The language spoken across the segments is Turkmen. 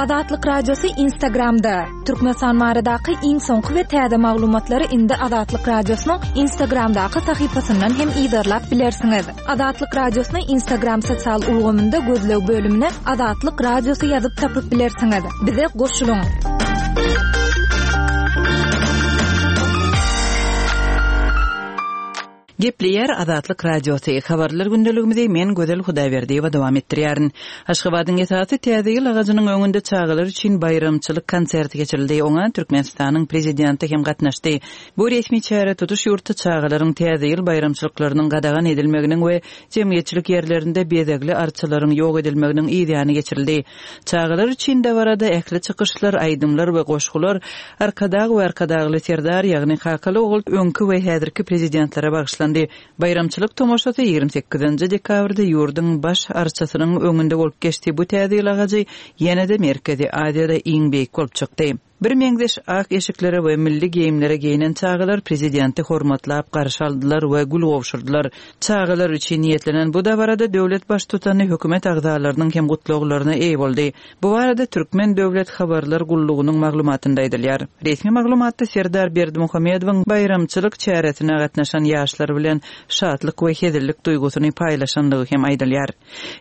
Azatlyk Radiosy Instagramda! Türkmenistan baradaky iň soňky we täze maglumatlary indi Azatlyk Radiosynyň Instagramdaky sahypasyndan hem yzarlap bilersiňiz. Azatlyk Radiosyny Instagram sosial ulgamynda gözleg bölümine Azatlyk Radiosy ýazyp tapyp bilersiňiz. Bize goşulyň! Gepleýär Azatlyk Radiosy, Habarlar gündeligimizi men Gözel Hudaýberdiýewa dowam etdirýärin. Aşgabadyň esasy Täze ýyl agajynyň öňünde çagalar üçin baýramçylyk konserti geçirildi. Oňa Türkmenistanyň Prezidenti hem gatnaşdy. Bu resmi çäre tutuş ýurtda çagalaryň Täze ýyl baýramçylyklarynyň gadagan edilmeginiň we jemgyýetçilik ýerlerinde bezegli arçalaryň ýok edilmeginiň yz ýany geçirildi. Çagalar üçin dabarada ähli çykyşlar, aýdymlar we goşgular Arkadag we Arkadagly Serdar, ýagny kakaly ogul öňki we häzirki Prezidentlere bagyşlandy. Baýramçylyk tomaşasy 28-nji dekabrda ýurduň Baş arçasynyň öňünde bolup geçdi, bu Täze ýyl agajy ýene-de Merkezi Aziýada iň beýik bolup çykdy. Birmeňzeş ak eşiklere we milli geýimlere geýnen çagalar prezidenti hormatlap garşy aldylar we gül gowşurdylar. Çagalar üçin niýetlenen bu dabarada döwlet Baştutany hökümet agzalarynyň hem gutlaglaryna eýe boldy. Bu barada Türkmen döwlet habarlar gullugynyň maglumatynda aýdylýar. Resmi maglumatda Serdar Berdimuhamedowyň baýramçylyk çäresine gatnaşan ýaşlar bilen şatlyk we hezillik duýgusyny paýlaşandygy hem aýdylýar.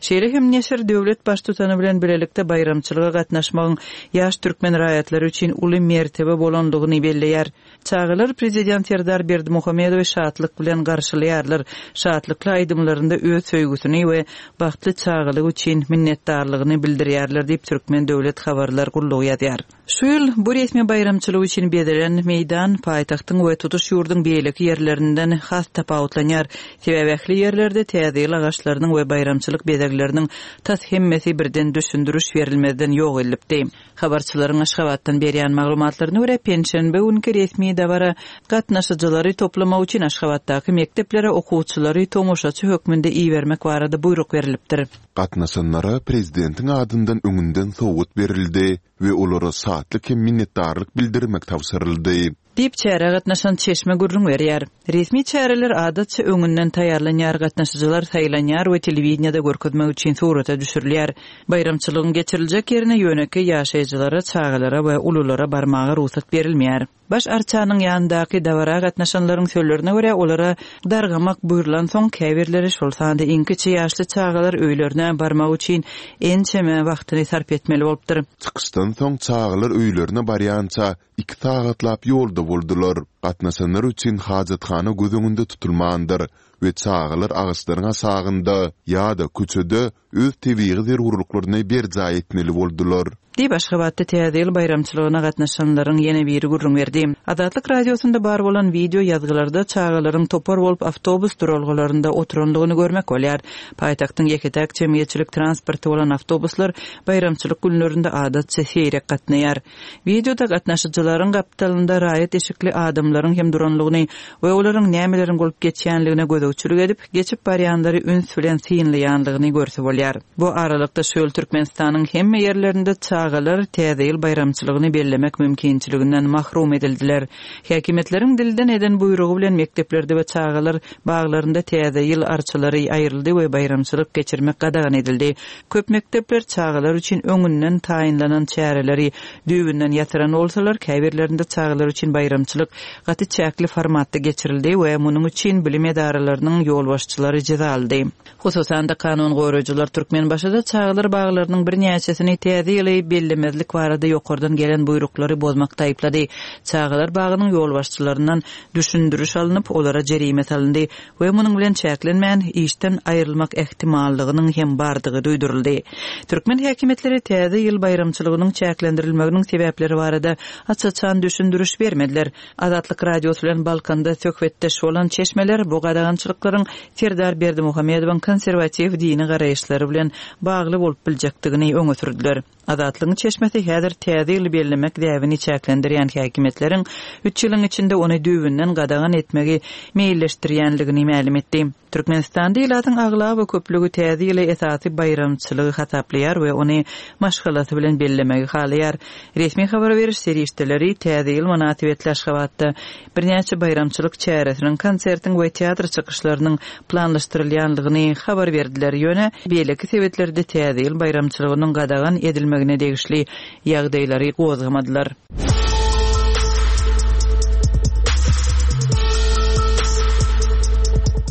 Şeýle hem neşir döwlet Baştutany bilen bilelikde baýramçylyga gatnaşmagyň ýaş türkmen raýatlary üçin uly mertebe bolandygyny belleýär. Çagalar Prezident Serdar Berdimuhamedowy şatlyk bilen garşylaýarlar, şatlykly aýdymlarynda öz söýgüsini we bagtly çagalygy üçin minnetdarlygyny bildirýärler diýip, Türkmen döwlet habarlar gullugy ýazýar. Şu ýyl bu resmi baýramçylyk üçin bezelen meýdan paýtagtyň we tutuş ýurduň beýleki ýerlerinden has tapawutlanýar. Sebäbi ähli ýerlerde Täze ýyl agaçlarynyň we baýramçylyk bezegleriniň tas hemmesi birden düşündiriş berilmezden ýok edilipdi. Habarçylaryň Aşgabatdan berýän maglumatlaryna görä, penşenbe günki resmi dabara gatnaşyjylary toplamak üçin Aşgabatdaky mekdeplere okuwçylary tomaşaçy hökmünde ibermek barada buýruk berilipdir. Gatnaşanlara prezidentiň adyndan öňünden sowgat berildi we olara şatlyk hem minnetdarlyk bildirmek tabşyryldy. Diýip, çärä gatnaşan çeşme gürrüň berýär. Resmi çäreler adatça öňünden taýýarlanýar, gatnaşyjylar saýlanýar we telewideniýede görkezmek üçin surata düşürilýär. Baýramçylygyň geçiriljek ýerine ýönekeý ýaşaýjylara, çagalara we ululara barmaga rugsat berilmeýär. Baş arçanyň ýanyndaky dabara gatnaşanlaryň sözlerine görä, olara dargamak buýrulansoň, käbirleri, şol sanda iň kiçi ýaşly çagalar öýlerine barmak üçin ençeme wagtyny sarp etmeli bolupdyr. Çykyşdan soň çagalar öýlerine barýança iki sagatlap ýolda boldular. Gatnaşanlar üçin hajathana göz öňünde tutulmandyr we çagalar agaçlaryň aşagynda ýa-da köçede öz tebigy zerurlyklaryny berjaý etmeli boldular. Diýip, Aşgabatda Täze ýyl baýramçylygyna gatnaşanlaryň ýene biri gürrüň berdi. Azatlyk Radiosynda bar bolan wideo ýazgylarda çagalaryň topar bolup awtobus duralgalarynda oturandygyny görmek bolýar. Paýtagtyň ýeke-täk jemgyýetçilik transporty bolan awtobuslar baýramçylyk günlerinde adatça seýrek gatnaýar. Wideoda gatnaşyjylaryň gapdalynda raýat eşikli adamlaryň hem duranlygyny we olaryň nämeleriň bolup geçýänligine gözegçilik edip, geçip barýanlary üns bilen synlaýanlygyny görse bolýar. Bu aralykda şu ýyl Türkmenistanyň hemme ýerlerinde çagalar Täze ýyl baýramçylygyny bellemek mümkinçiliginden mahrum edildiler. Häkimiýetleriň dilden eden buýrugy bilen mekdeplerde we çagalar baglarynda Täze ýyl arçalary aýryldy we baýramçylyk geçirmek gadagan edildi. Köp mekdepler çagalar üçin öňünden taýynlanan çäreleri düýbünden ýatyran bolsalar, käbirlerinde çagalar üçin baýramçylyk gaty çäkli formatda geçirildi we munuň üçin bilim edaralarynyň ýolbaşçylary jeza aldy. Hususan-da, kanun goraýjylar Türkmenbaşyda çagalar baglarynyň birnäçesini Täze ýyly bellemezlik barada ýokardan gelen buýruklary bozmakda aýyplady. Çagalar bagynyň ýolbaşçylaryndan düşündiriş alnyp, olara jerime salyndy. We munuň bilen çäklenmän, işden aýrylmak ähtimallygynyň hem bardygy duýduryldy. Türkmen häkimiýetleri Täze ýyl baýramçylygynyň çäklendirilmeginiň sebäpleri barada aç-açan düşündiriş bermediler. Azatlyk Radiosy bilen Balkanda söhbetdeş bolan çeşmeler bu gadagançylyklaryň Serdar Berdimuhamedowyň konserwatiw dini garaýyşlary bilen bagly bolup biljekdigini öňe sürdüler. Azatlygyň çeşmesi häzir Täze ýyly bellemek däbini çäklendirýän häkimiýetleriň üç ýylyň içinde ony düýbünden gadagan etmegi meýilleşdirýänligini mälim etdi. Türkmenistanda ilatyň aglaba köplügi Täze ýyly esasy baýramçylygy hasaplaýar we ony maşgalasy bilen bellemegi halaýar. Resmi habar beriş serişdeleri Täze ýyl mynasybetli Aşgabatda birnäçe baýramçylyk çäresiniň, konsertiň we teatr çykyşlarynyň planlaşdyrylýandygyny habar berdiler, ýöne beýleki sebitlerde Täze ýyl baýramçylygynyň gadagan edilmegine degişli ýagdaýlary gozgamadylar.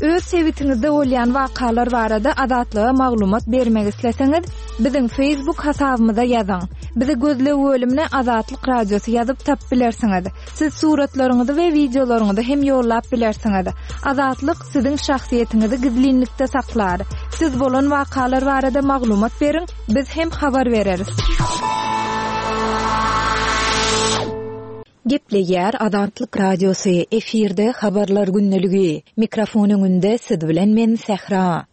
Öz sebitiňizde bolýan wakalar barada Azatlyga maglumat bermek isleseňiz, biziň Facebook hasabymyza ýazyň. Bizi gözleg bölümine Azatlyk Radiosy ýazyp tapyp bilersiňiz. Siz suratlaryňyzy we wideolaryňyzy hem ýollap bilersiňiz. Azatlyk siziň şahsyýetiňizi gizlinlikde saklar. Siz bolan wakalar barada maglumat beriň, biz hem habar bereris. Gepleýär Azatlyk Radiosy, efirde Habarlar gündeligi. Mikrofon öňünde siz bilen men Sähra.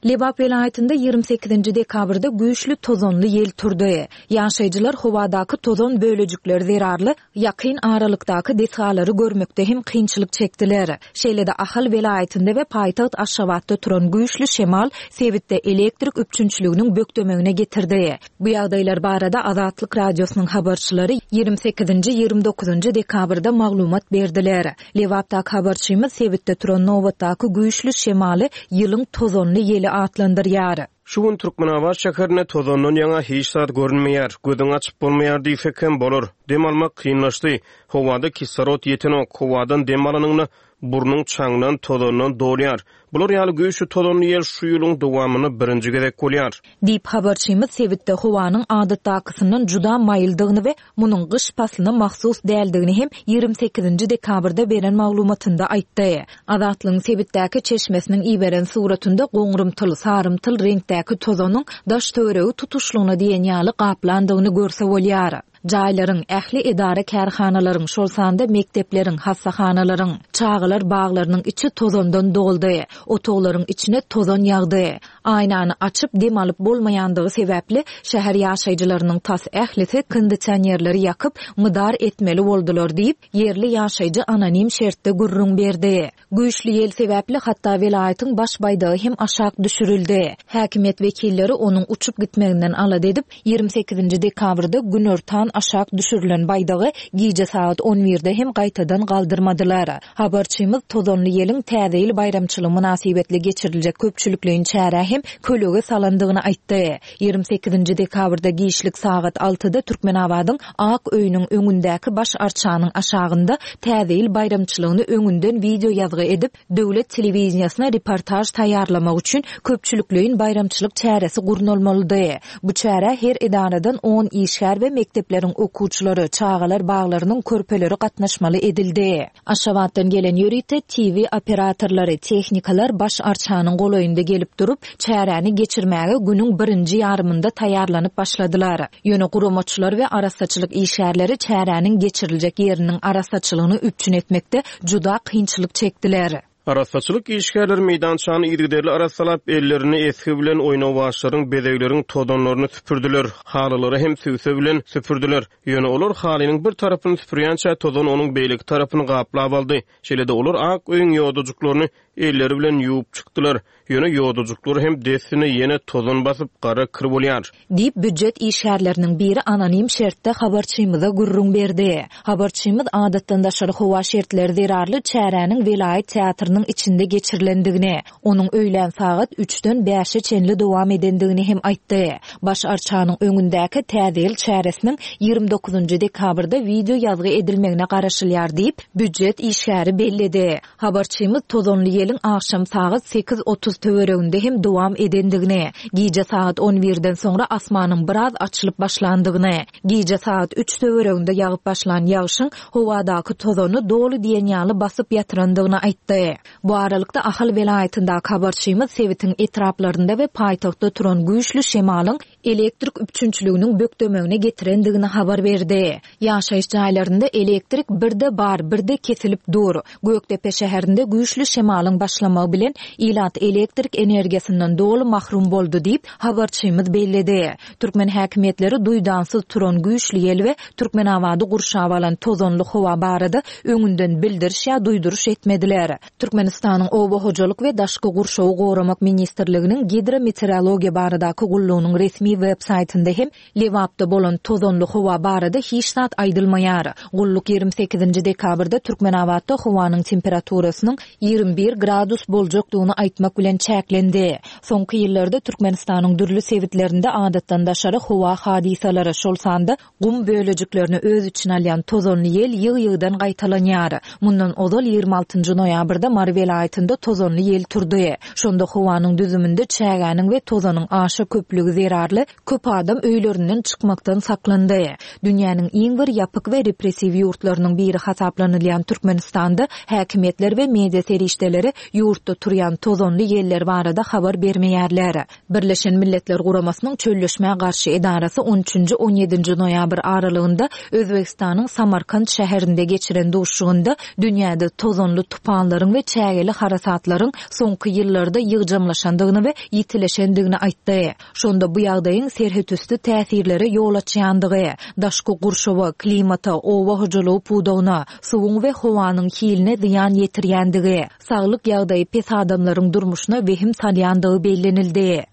Lebap welaýatynda 28-nji dekabrda güýçli tozanly ýel turdy. Ýaşaýjylar howadaky tozan bölejikleri zerarly ýakyn aralykdaky desgalary görmekde hem kynçylyk çekdiler. Şeýle-de Ahal welaýatynda we paýtagt Aşgabatda turan güýçli şemal sebitde elektrik üpjünçiliginiň bökdemegine getirdi. Bu ýagdaýlar barada Azatlyk Radiosynyň habarçylary 28-nji, 29-njy dekabrda maglumat berdiler. Lebapdaky habarçymyz sebitde turan nobatdaky güýçli şemaly ýylyň tozanly ýeli atlandyrýar. Şu gün Türkmenabat şäherinde tozandan ýaňa hiç zat görünmeýär, gözüňi açyp bolmaýar diýsek hem bolar. Dem almak kynlaşdy. Howada kislorod ýetenok. Howadan dem alanyňda burnuň çaňdan, tozandan dolýar. Bular ýaly güýçli tozanly ýel şu ýylyň dowamynda birinji gezek bolýar. Diýip, habarçymyz sebitde howanyň adatdakysyndan juda maýyldygyny we munuň gyş paslyna mahsus däldigini hem 28-nji dekabrda beren maglumatynda aýtdy. Azatlygyň sebitdäki çeşmesiniň iberen suratynda goňrumtyl, sarymtyl reňkdäki tozanyň daş-töweregi tutuşlygyna diýen ýaly gaplandygyny görse bolýar. Jaýlaryň, ähli edara-kärhanalaryň, şol sanda mekdepleriň, hassahanalaryň, çagalar baglarynyň içi tozandan doldy. Otaglaryň içine tozan ýagdy. Aýnany açyp dem alyp bolmaýandygy sebäpli, şäher ýaşaýjylarynyň tas ählisi kondisionerleri ýakyp, mydar etmeli boldular diýip, ýerli ýaşaýjy anonim şertde gürrüň berdi. Güýçli ýel sebäpli hatda welaýatyň baş baýdagy hem aşak düşürildi. Häkimiýet wekilleri onuň uçup gitmeginden alada edip, 28-nji dekabrda günortan aşak düşürilen baýdagy gije sagat on birde hem gaýtadan galdyrmadylar. Habarçymyz tozanly ýeliň Täze ýyl baýramçylygy mynasybetli geçiriljek köpçülikleýin çärä hem kölege salandygyny aýtdy. 28-nji dekabrda giçlik sagat altyda Türkmenabadyň Ak öýüniň öňündäki baş arçanyň aşagynda Täze ýyl baýramçylygyny öňünden wideoýazgy edip, döwlet telewideniýesine reportaž taýýarlamak üçin köpçülikleýin baýramçylyk çäresi gurnalmalydy. Bu çärä her edaradan on işgär we mekdepleriň okuwçylary, çagalar baglarynyň körpeleri gatnaşmaly edildi. Aşgabatdan gelen ýörite TV operatorlary, tehnikalar baş arçanyň golaýynda gelip durup, çäräni geçirmäge günüň birinji ýarymynda taýýarlanyp başladylar. Ýöne guramaçylar we arassaçylyk işgärleri çäräniň geçiriljek ýeriniň arassaçylygyny üpjün etmekde juda kynçylyk çekdiler. Arassaçylyk işgärleri meýdançany yzygiderli arassalap, ellerini esgi bilen oýnawaçlaryň, bezegleriň tozanlaryny süpürdiler, halylary hem sübse bilen süpürdiler. Ýöne olar halynyň bir tarapyny süpürýänçä tozan onuň beýleki tarapyny gaplap aldy. Şeýle-de olar ak öýüň ýodajyklaryny elleri bilen ýuwup çykdylar. Ýöne ýodajyklary hem dessine ýene tozan basyp, gara kir bolýar. Diýip, býujet işgärleriniň biri anonim şertde habarçymyza gürrüň berdi. Habarçymyz adatdan daşary howa şertleri zerarly çäräniň welaýat teatrynyň içinde geçirilendigini, onuň öýlän sagat üçden bäşe çenli dowam edendigini hem aýtdy. Baş arçanyň öňündäki Täze ýyl çäresiniň 29-njy dekabrda wideo ýazgy edilmegine garaşylýar diýip, býujet işgäri belledi. Habarçymyz tozanly ýeliň agşam sagat 8:30 töwereginde hem dowam edendigini, gije sagat on birden soňra asmanyň biraz açylyp başlandygyny, gije sagat üç töwereginde ýagyp başlan ýagşyň howadaky tozany doly diýen ýaly basyp ýatyrandygyny aýtdy. Bu aralykda, Ahal welaýatyndaky habarçymyz sebitiň etraplarynda we paýtagtda turan güýçli şemalyň. elektrik üpjünçiliginiň bökdemegine getirendigini habar berdi. Ýaşaýyş jaýlarynda elektrik birde bar, birde kesilip dur. Gökdepe şäherinde güýçli şemalyň başlamagy bilen ilat elektrik energiýasyndan doly mahrum boldy diýip, habarçymyz belledi. Türkmen häkimiýetleri duýdansyz turan güýçli ýel we Türkmenabady gurşap alan tozanly howa barada öňünden bildiriş ýa duýduryş etmediler. Türkmenistanyň Oba hojalyk we daşky gurşawy goramak ministrliginiň Gidrometeorologiýa baradaky gullugynyň resmi web saýtynda hem Lebapda bolan tozanly howa barada hiç zat aýdylmaýar. Gulluk 28-nji dekabrda Türkmenabatda howanyň temperaturasynyň 21 gradus boljakdygyny aýtmak bilen çäklendi. Soňky ýyllarda Türkmenistanyň dürli sebitlerinde adatdan daşary howa hadysalary, şol sanda gum bölejiklerini öz içine alýan tozanly ýel ýygy-ýygydan gaýtalanýar. Mundan ozal 26-njy noýabrda Mary welaýatynda tozanly ýel turdy. Şonda howanyň düzüminde çägäniň we tozanyň aşa köplügi zerarly Köp adam öýlerinden çykmakdan saklandy. Dünýäniň iň bir ýapyk we repressiw ýurtlarynyň biri hasaplanylýan Türkmenistanda häkimiýetler we media serişdeleri ýurtda turýan tozanly ýeller barada habar bermeýärler. Birleşen Milletler Guramasynyň Çölleşmä garşy edarasy on üçünji, on ýedinji noýabr aralygynda Özbegistanyň Samarkant şäherinde geçiren duşuşygynda dünýäde tozanly tupanlaryň we çägeli harasatlaryň soňky ýyllarda ýygjamlaşandygyny we ýitileşendigini aýtdy. Şonda bu ýagdaýyň serhetüsti täsirlere ýol açýandygy, daşky gurşawa, klimata, oba hojalygy pudagyna, suwuň we howanyň hiline zyýan ýetirýändigi, saglyk ýagdaýy pes adamlaryň durmuşyna wehim salýandygy bellenildi.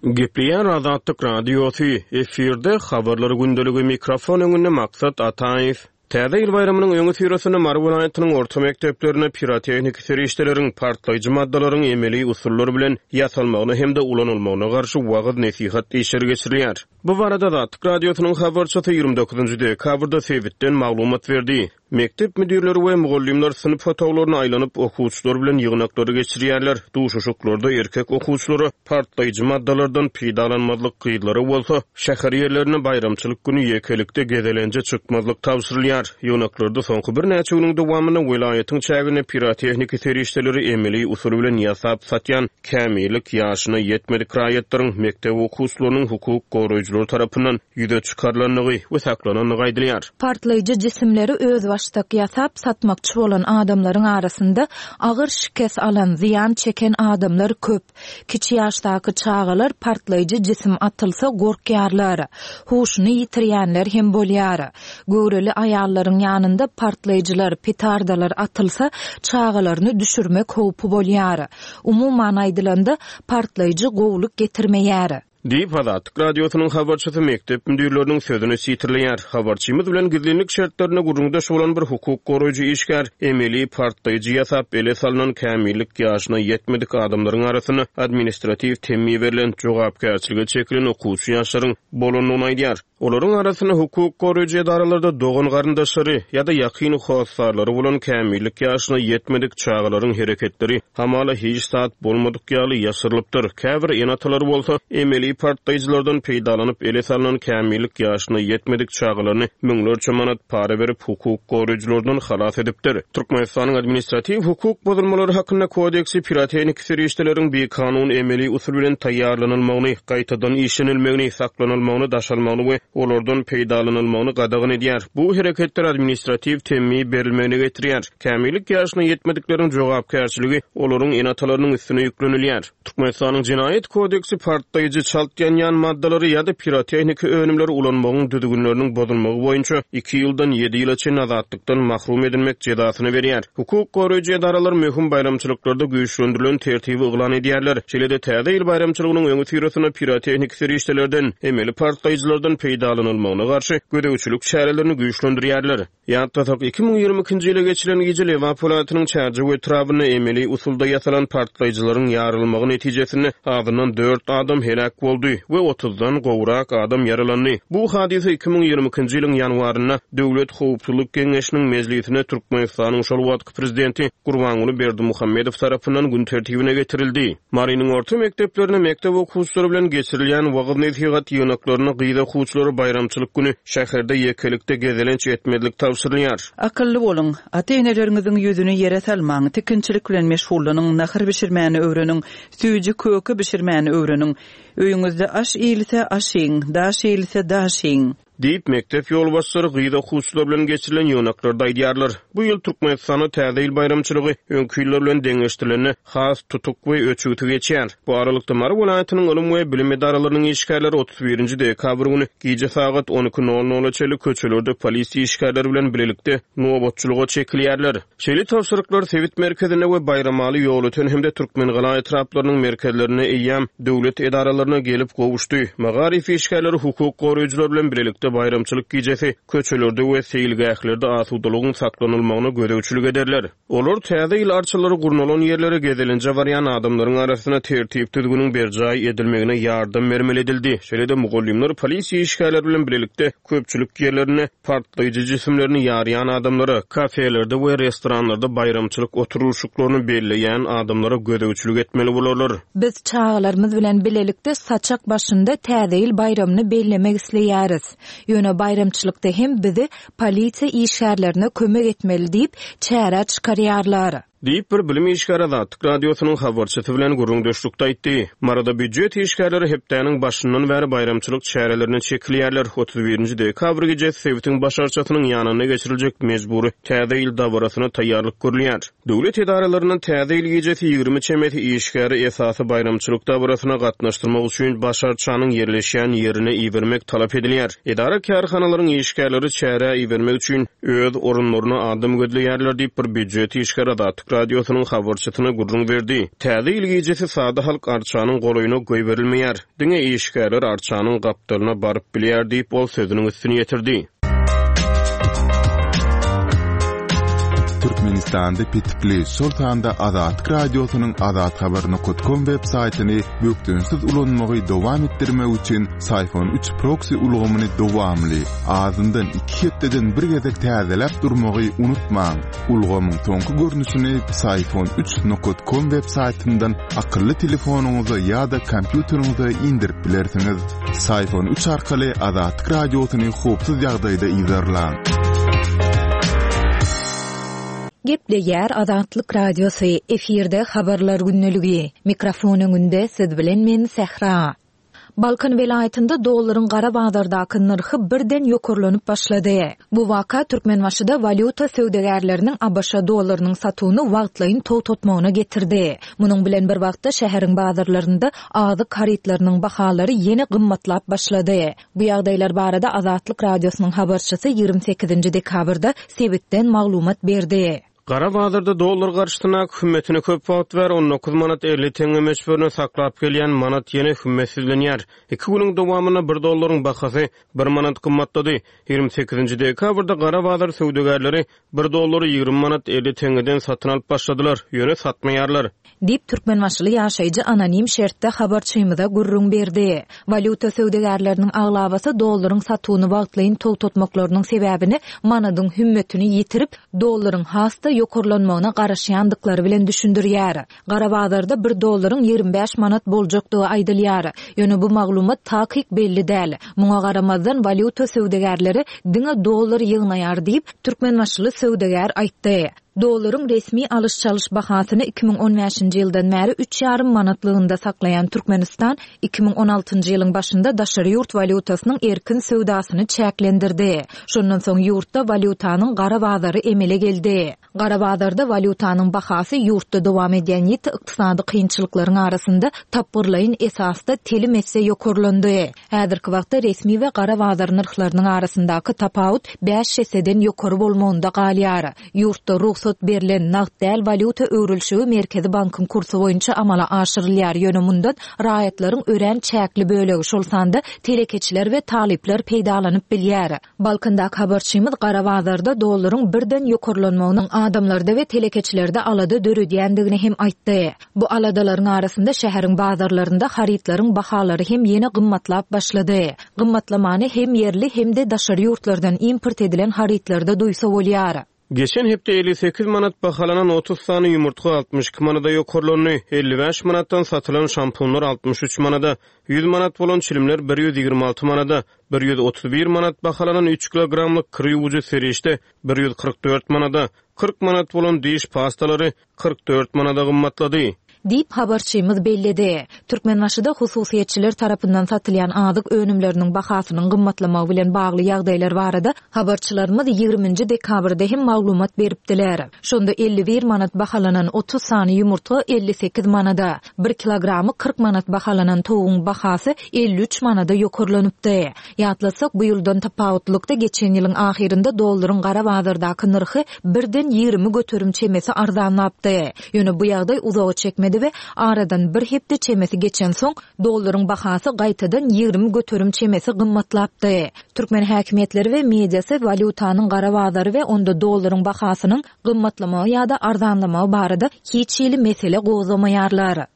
Gepleýär Azatlyk Radiosy, efirde Habarlar gündeligi, mikrofon öňünde Maksat Ataýew. Täze ýyl baýramynyň öňüsyrasynda Mary welaýatynyň orta mekdeplerinde pirotehniki serişdeleriň, partlaýjy maddalaryň emeli usullar bilen ýasalmagyna hem-de ulanylmagyna garşy wagyz-nesihat işleri geçirilýär. Bu barada Azatlyk Radiosynyň habarçysy 29 dekabrda sebitden maglumat berdi. Mekdep müdirleri we mugallymlar synp otaglaryna aýlanyp, okuwçylar bilen ýygnaklary geçirýärler. Duşuşyklarda erkek okuwçylara partlaýjy maddalardan peýdalanmazlyk, gyzlara bolsa şäher ýerlerine baýramçylyk güni ýekelikde gezelenje çykmazlyk tabşyrylýar. Ýygnaklarda soňky birnäçe günüň dowamynda welaýatyň çäginde pirotehniki serişdeleri emeli usul bilen ýasap satýan kämillik ýaşyna ýetmedik raýatlaryň, mekdep okuwçylarynyň hukuk goraýjylar tarapyndan ýüze çykarylandygy we saklanandygy aýdylýar. Partlaýjy jisimleri özbaşdak ýasap satmakçy bolan adamlaryň arasynda agyr şikes alan, zyýan çeken adamlar köp. Kiçi ýaşdaky çagalar partlaýjy jisim atylsa gorkýarlar. Huşuny ýitirýänler hem bolýar. Göwreli aýallaryň ýanynda partlaýjylar, petardalar atylsa, çagalaryny düşürmek howpy bolýar. Umuman aýdylanda, partlaýjy gowulyk getirmeýär. Diýip, Azatlyk Radiosynyň habarçysy mekdep müdirleriniň sözüni sitirleýär. Habarçymyz bilen gizlinlik şertlerinde gürrüňdeş bolan bir hukuk goraýjy işgär emeli partlaýjy ýasap, ele salnan kämillik ýaşyna ýetmedik adamlaryň arasynda administratiw temmi berlen, jogapkärçilige çekilen okuwçy ýaşlaryň bolandygyny aýdýar. Olaryň arasynda hukuk goraýjy edaralarda dogan-garyndaşlary ýa-da ýakyn hossarlary bolan kämillik ýaşyna ýetmedik çagalaryň hereketleri hamala hiç zat bolmadyk ýaly ýaşyrylypdyr. Käbir ene-atalar bolsa emeli partlaýjylardan peýdalanyp ele salnan kämillik ýaşyna ýetmedik çagalaryny müňlerçe manat para berip hukuk goraýjylardan halas edipdir. Türkmenistanyň Administratiw hukuk bozulmalary hakynda kodeksi pirotehniki serişdeleriň bikanun emeli usul bilen taýýarlanylmagyny, gaýtadan işlenilmegini, saklanylmagyny, daşalmagyny we olardan peýdalanylmagyny gadagan edýär. Bu hereketler administratiw temmi berilmegine getirýär. Kämillik ýaşyna ýetmedikleriň jogapkärçiligi olaryň ene-atalarynyň üstüne ýüklenilýär. Türkmenistanyň Jenaýat kodeksi partlaýjy, çalt ýanýan maddalary ýa-da pirotehniki önümleri ulanmagyň düzgünleriniň bozulmagy boýunça iki ýyldan ýedi ýyla çenli azatlykdan mahrum edilmek jezasyny berýär. Hukuk goraýjy edaralar möhüm baýramçylyklarda güýçlendirilen tertibi yglan edýärler. Şeýle-de Täze ýyl baýramçylygynyň öňüsyrasynda pirotehniki serişdelerden, emeli partlaýjylardan peýdalanylmagyna garşy gözegçilik çärelerini güýçlendirýärler. Ýatlasak, 2022-nji ýyla geçilen gije Lebap welaýatynyň Çärjew etrabynda emeli usulda ýasalan partlaýjylaryň ýarylmagy netijesinde azyndan dört adam heläk boldy. boldy we otuzdan gowrak adam ýaralandy. Bu hadysa 2022-nji ýylyň ýanwarynda Döwlet howpsuzlyk geňeşiniň mejlisinde Türkmenistanyň şol wagtky prezidenti Gurbanguly Berdimuhamedow tarapyndan gün tertibine getirildi. Marynyň orta mekdeplerinde mekdep okuwçylary bilen geçirilýän wagyz-nesihat ýygnaklarynda gyz okuwçylara baýramçylyk güni şäherde ýekelikde gezelenç etmezlik tabşyrylýar. Akylly boluň, ata-eneleriňiziň ýüzüni ýere salmaň, tikinçilik bilen meşgullanyň, nahar bişirmäni öwreniň, süýji-köke bişirmäni öwreniň. Öýüňizde aş iýilse, aş iýiň, daş iýilse, daş iýiň. Diýip, mekdep ýolbaşçylary gyz okuwçylar bilen geçirilen ýygnaklarda aýdýarlar. Bu ýyl Türkmenistanda Täze ýyl baýramçylygy öňki ýyllar bilen deňeşdirilende has tutuk we öçügsi geçýär. Bu aralykda, Mary welaýatynyň ylym we bilim edaralarynyň işgärleri 31-nji dekabr güni gije sagat on iki nol nola çenli köçelerde polisiýa işgärleri bilen bilelikde nobatçylyga çekilýärler. Şeýle tabşyryklar sebit merkezinde we Baýramaly, Ýolöten hem-de Türkmengala etraplarynyň merkezlerinde eýýäm döwlet edaralaryna gelip gowuşdy. Magaryf işgärleri hukuk goraýjylar bilen bilelikde baýramçylyk gijesi köçelerde we seýilgählerde asudalygyň saklanylmagyna gözegçilik ederler. Olar Täze ýyl arçalary gurnalan ýerlere gezelenje barýan adamlaryň arasynda tertip-düzgüniň berjaý edilmegine ýardam bermeli edildi. Şeýle-de mugallymlar polisiýa işgärleri bilen bilelikde köpçülik ýerlerinde partlaýjy jisimlerini ýarýan adamlara, kafelerde we restoranlarda baýramçylyk oturylyşyklaryny belleýän adamlara gözegçilik etmeli bolarlar. Biz çagalarymyz bilen bilelikde saçak başynda Täze ýyl baýramyny bellemek isleýäris. Ýöne baýramçylykda hem bizi polisiýa işgärlerine kömek etmeli diýip, çärä çykarýarlar. Diýip, bir bilim işgäri Azatlyk Radiosynyň habarçysy bilen gürrüňdeşlikde aýtdy. Maryda býujet işgärleri hepdäniň başyndan bäri baýramçylyk çärelerine çekilýärler. 31-nji dekabr gijesi sebitiň baş arçasynyň ýanynda geçiriljek mejbury Täze ýyl dabarasyna taýýarlyk görülýär. Döwlet edaralaryndan Täze ýyl gijesi 20 çemesi işgäri esasy baýramçylyk dabarasyna gatnaşdyrmak üçin baş arçanyň ýerleşýän ýerine ibermek talap edilýär. Edara-kärhanalaryň işgärleri çärä ibermek üçin öz orunlaryna adam gözleýärler diýip, bir býujet işgäri Azatlyk Radiosynyň habarçysyna gürrüň berdi. Täze ýyl gijesi sada halk arçanyň golaýyna goýberilmeýär. Diňe işgärler arçanyň gapdalyna baryp bilýär diýip, ol sözüniň üstüni ýetirdi. Türkmenistanda petikli, şol sanda Azatlyk Radiosynyň azathabar nokat kom web saýtyny bökdençsiz ulanmagy dowam etdirmek üçin Syfon üç proksi ulgamyny dowamly, azyndan iki hepdeden bir gezek täzeläp durmagy unutmaň. Ulgamyň soňky görnüşini Syfon üç nokat kom web saýtyndan akylly telefonyňyza ýa-da kompýuteriňize indirip bilersiňiz. Syfon üç arkaly Azatlyk Radiosyny howpsuz ýagdaýda yzarlaň. Gepleýär Azatlyk Radiosy, efirde Habarlar gündeligi. Mikrofon öňünde siz bilen men Sähra. Balkan welaýatynda dollaryň gara bazardaky nyrhy birden ýokarlanyp başlady. Bu waka Türkmenbaşyda walýuta söwdagärleriniň ABŞ dollarynyň satuwyny wagtlaýyn togtatmagyna getirdi. Munuň bilen bir wagtda şäheriň bazarlarynda azyk harytlarynyň bahalary ýene gymmatlap başlady. Bu ýagdaýlar barada Azatlyk Radiosynyň habarçysy 28 dekabrda sebitden maglumat berdi. Gara bazarda dollar garşysyndaky hümmetini köp wagt bäri 19 manat 50 teňňe möçberinde saklap gelýän manat ýene hümmetsizlenýär. Iki günüň dowamynda bir dollaryň bahasy bir manat gymmatlady. 28-nji dekabrda gara bazar söwdagärleri bir dollary 20 manat 50 teňňeden satyn alyp başladylar, ýöne satmaýarlar. Diýip, türkmenbaşyly ýaşaýjy anonim şertde habarçymyza gürrüň berdi. Walýuta söwdagärleriniň aglabasy dollaryň satuwyny wagtlaýyn togtatmaklarynyň sebäbini manadyň hümmetini ýitirip, dollaryň has-da ýokarlanmagyna garaşýandyklary bilen düşündirýär. Gara bazarda bir dollaryň 25 manat boljakdygy aýdylýar. Ýöne bu maglumat takyk belli däl. Muňa garamazdan, walýuta söwdagärleri diňe dollar ýygnaýar diýip, türkmenbaşyly söwdagär aýtdy. Dollaryň resmi alyş-çalyş bahasyny 2015-nji ýyldan bäri üç ýarym manatlygynda saklaýan Türkmenistan 2016-njy ýylyň başynda daşary ýurt walýutasynyň erkin söwdasyny çäklendirdi. Şondan soň ýurtda walýutanyň gara bazary emele geldi. Gara bazarda walýutanyň bahasy ýurtda dowam edýän ýiti ykdysady kynçylyklaryň arasynda tapgyrlaýyn esasda telim esse ýokarlandy. Häzirki wagtda resmi we gara bazar nyrhlarynyň arasyndaky tapawut bäş esseden ýokary bolmagynda galýar. Ýurtda rugsat berlen nagt däl walýuta öwrülişigi Merkezi bankyň kursy boýunça amala aşyrylýar, ýöne mundan raýatlaryň örän çäkli bölegi, şol sanda telekeçiler we talyplar peýdalanyp bilýär. Balkandaky habarçymyz gara bazarda dollaryň birden ýokarlanmagynyň adamlarda we telekeçilerde alada döredýändigini hem aýtdy. Bu aladalaryň arasynda şäheriň bazarlarynda harytlaryň bahalary hem ýene gymmatlap başlady. Gymmatlamany hem ýerli, hem-de daşary ýurtlardan import edilen harytlarda duýsa bolýar. Geçen hepde 58 manat bahalanan 30 sany ýumurtga 62 manada ýokarlandy, 55 manatdan satylan şampunlar 63 manada, 100 manat bolan çilimler 126 manada, 131 manat bahalanan üç kilogramlyk kir ýuwujy serişde 144 manada, 40 manat bolan diş pastalary 44 manada gymmatlady. Diýip, habarçymyz belledi. Türkmenbaşyda hususyýetçiler tarapyndan satylýan azyk önümleriniň bahasynyň gymmatlamagy bilen bagly ýagdaýlar barada habarçylarymyz ýigriminji dekabrda hem maglumat beripdiler. Şonda 51 manat bahalanan 30 sany ýumurtga 58 manada, bir kilogramy 40 manat bahalanan towugyň bahasy 53 manada ýokarlanypdy. Ýatlatsak, bu ýyldan tapawutlylykda geçen ýylyň ahyrynda dollaryň gara bazardaky nyrhy birden 20% çemesi arzanlapdy. Ýöne bu ýagdaý uzaga çekmedi we aradan bir hepde çemesi geçensoň, dollaryň bahasy gaýtadan 20% çemesi gymmatlapdy. Türkmen häkimiýetleri we mediasy walýutanyň gara bazary we onda dollaryň bahasynyň gymmatlamagy ýa-da arzanlamagy barada hiç hili mesele gozgamaýarlar.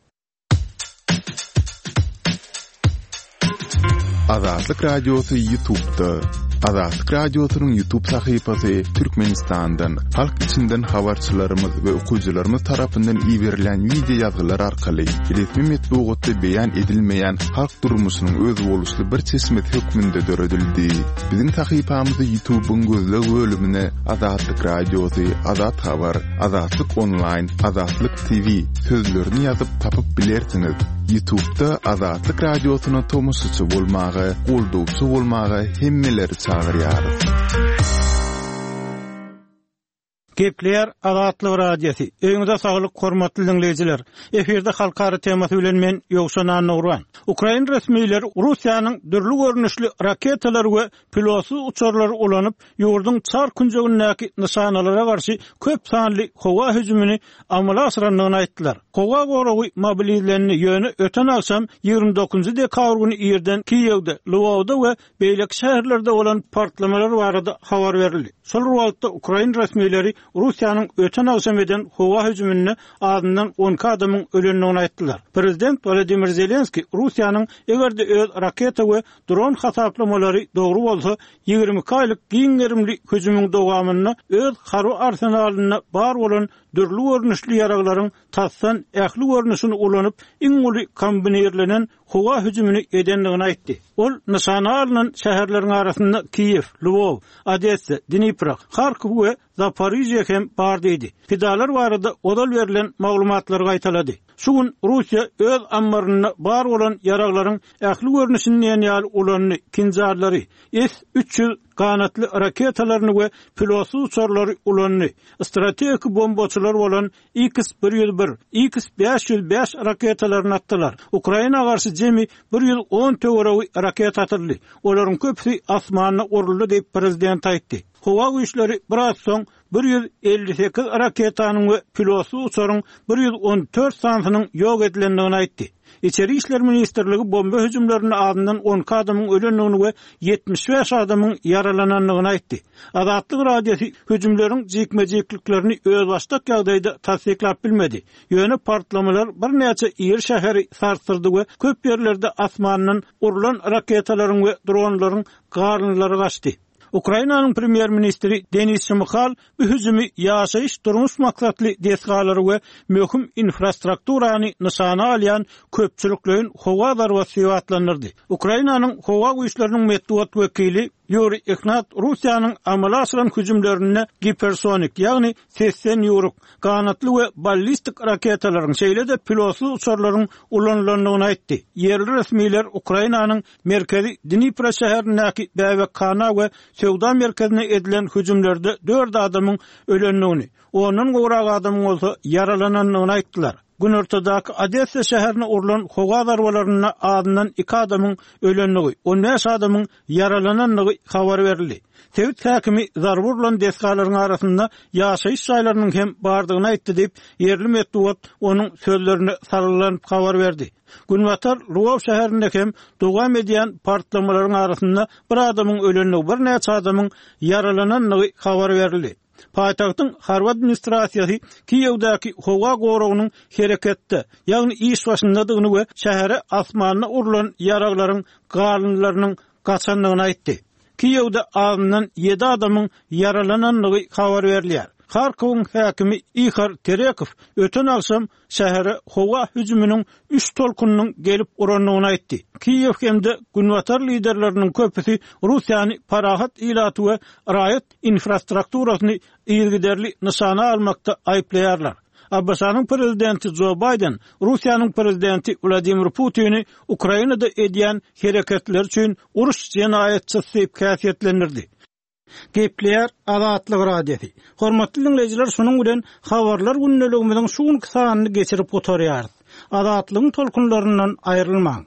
Azatlyk Radiosy YouTube'da. Azatlyk Radiosynyň YouTube sahypasy Türkmenistandan, halk içinden habarçylarymyz we okyjylarymyz tarapyndan iberilen wideo ýazgylar arkaly resmi metbugatda beýan edilmeýän halk durmuşynyň özboluşly bir çeşmesi hökmünde döredildi. Biziň sahypamyzy YouTube'yň gözleg bölümine Azatlyk Radiosy, Azat Habar, Azatlyk Onlaýn, Azatlyk TV sözlerini ýazyp tapyp bilersiňiz. Ýutubda Azatlyk Radiosyna tomaşaçy bolmaga, goldawçy bolmaga hemmeleri çagyrýarys. Gepleýär Azatlyk Radiosy. Öýüňize saglyk hormatly diňleýjiler. Efirde halkara temasy bilen men Ýowşan Annagurban. Ukrain resmileri Russiýanyň dürli görnüşli raketalary we pilotsyz uçarlary ulanyp, ýurduň çar künjegindäki nyşanalara garşy köp sanly howa hüjümini amala aşyrandygyny aýtdylar. Howa goragy mobilizlendi, ýöne öten agşam, 29 dekabr güni irden Kiýewde, Lwowda we beýleki şäherlerde bolan partlamalar barada habar berildi. Şol bir wagtda, ukrain resmileri Russiýanyň öten agşam eden howa hüjüminde azyndan 12 adamyň ölendigini aýtdylar. Prezident Wolodymyr Zelenskiý Russiýanyň eger-de öz raketa we Dron hasaplamalary dogry bolsa, 22 aýlyk giň gerimli hüjümiň dowamynda öz harby arsenalynda bar bolan dürli görnüşli ýaraglaryň tasdan ähli görnüşini ulanyp, iň uly kombinirlenen howa hüjümini edendigini aýtdy. Ol nyşana alnan şäherleriň arasynda Kiýew, Lwow, Odessa, Dnipro, Harkow we Zaporižýe hem bar diýdi. Pidalar barada ozal berlen maglumatlary gaýtalady. Şu gün Russiýa öz ammarynda bar bolan ýaraglaryň ähli görnüşini diýen ýaly ulandy, kinžallary, S 300 ganatly raketalaryny we pilotsyz uçarlary ulandy, strategik bombaçylar bolan X 101, X 505 raketalaryny atdylar. Ukraina garşy jemi 110 töweregi raketa atyldy. Olaryň köpüsi asmanda uruldy diýip, prezident aýtdy. Howa güýçleri biraz soň 158 raketanyň we pilotsyz uçaryň 114 sanysynyň ýok edilendigini aýtdy. Içeri işler ministrligi bomba hüjümlerinde azyndan 12 adamyň ölendigini we 75 adamyň ýaralanandygyny aýtdy. Azatlyk Radiosy hüjümleriň jikme-jikliklerini özbaşdak ýagdaýda tassyklap bilmedi. Ýöne partlamalar birnäçe iri şäheri sarsdyrdy we köp ýerlerde asmandan urlan raketalaryň we dronlaryň galyndylary gaçdy. Ukrainanyň premýer-ministri Denis Şmyhal bu hüjümi ýaşaýyş-durmuş maksatly desgalary we möhüm infrastrukturany nyşana alýan köpçülikleýin howa zarbasy diýip atlandyrdy. Ukrainanyň howa güýçleriniň metbugat wekili Ýuriý Ihnat Russiýanyň amala aşyran hüjümlerinde gipersonik, ýagny sesden ýüwrük, ganatly we ballistik raketalaryň, şeýle-de pilotsyz uçarlaryň ulanylandygyny aýtdy. Ýerli resmiler Ukrainanyň Merkezi Dnipro şäherindäki bäbekhana we söwda merkezine edilen hüjümlerde dört adamyň ölendigini, ondan gowrak adamyň bolsa ýaralanandygyny aýtdylar. Günortadaky Odessa şäherine urlan howa zarbalarynda azyndan iki adamyň ölendigi, on bäş adamyň ýaralanandygy habar berildi. Sebit häkimi zarba urlan desgalaryň arasynda ýaşaýyş jaýlarynyň hem bardygyny aýtdy diýip, ýerli metbugat onuň sözlerine salgylanyp habar berdi. Günbatar Lwow şäherinde hem dowam edýän partlamalaryň arasynda bir adamyň ölendigi, birnäçe adamyň ýaralanandygy habar berildi. Paýtagtyň harby administrasiýasy Kiýewdäki howa goragynyň hereketde, ýagny iş başyndadygyny we şähere asmanda urlan ýaraglaryň galyndylarynyň gaçandygyny aýtdy. Kiýewde azyndan ýedi adamyň ýaralanandygy habar berilýär. Harkowyň häkimi Ihor Terekow öten agşam şähere howa hüjüminiň üç tolkunynyň gelip urandygyny aýtdy. Kiýew hem-de günbatar liderleriniň köpüsi Russiýany parahat ilaty we raýat infrastrukturasyny yzygiderli nyşana almakda aýyplaýarlar. ABŞ-nyň prezidenti Jo Baýden Russiýanyň prezidenti Wladimir Putini Ukrainada edýän hereketleri üçin uruş jenaýatçysy diýip häsiýetlendirdi. Gepleýär Azatlyk Radiosy. Hormatly diňleýjiler şunuň bilen Habarlar gündeligimiziň şu günki sanyny geçirip gutarýarys. Azatlygyň tolkunlaryndan aýrylmaň.